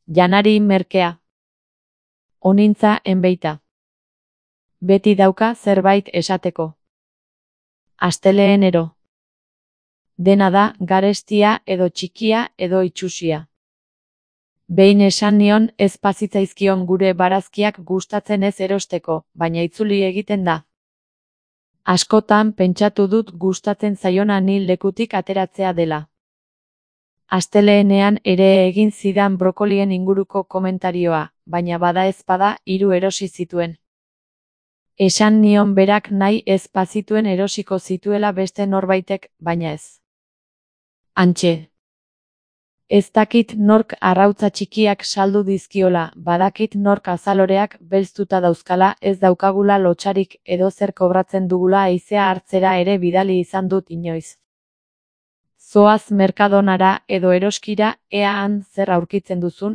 Janari merkea. Onintza enbeita. Beti dauka zerbait esateko. Asteleenero. Dena da garestia edo txikia edo itsusia. Behin esan nion ez bazitzaizkion gure barazkiak gustatzen ez erosteko, baina itzuli egiten da. Askotan pentsatu dut gustatzen zaiona ni lekutik ateratzea dela. Asteleenean ere egin zidan brokolien inguruko komentarioa, baina bada ezpada 3 erosi zituen. Esan nion berak nahi ez bazituen erosiko zituela beste norbaitek, baina ez. Hantxe. Ez dakit nork arrautza txikiak saldu dizkiola, badakit nork azaloreak belztuta dauzkala, ez daukagula lotsarik edo zer kobratzen dugula haizea hartzera ere bidali izan dut inoiz. Zoaz Mercadonara edo eroskira, ea han zer aurkitzen duzun.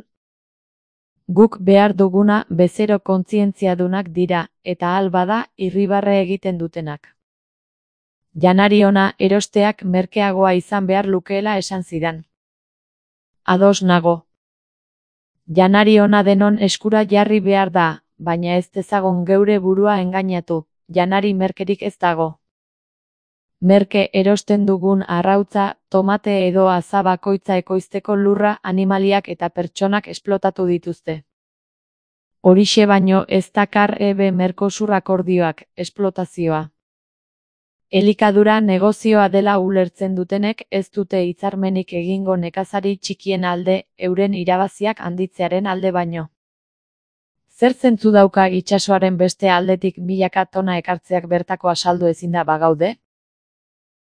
Guk behar duguna bezero kontzientziadunak dira, eta ahal bada irribarre egiten dutenak. Janari ona erosteak merkeagoa izan behar lukeela esan zidan. Ados nago. Janari ona denon eskura jarri behar da, baina ez dezagun geure burua engainatu, janari merkerik ez dago. Merke erosten dugun arrautza, tomate edo aza bakoitza ekoizteko lurra, animaliak eta pertsonak esplotatu dituzte. Horixe baino ez dakar Mercosur akordioak, esplotazioa. Elikadura negozioa dela ulertzen dutenek ez dute hitzarmenik egingo nekazari txikien alde, euren irabaziak handitzearen alde baino. Zer zentzu dauka itsasoaren beste aldetik milaka tona ekartzeak bertako asaldu ezinda bagaude?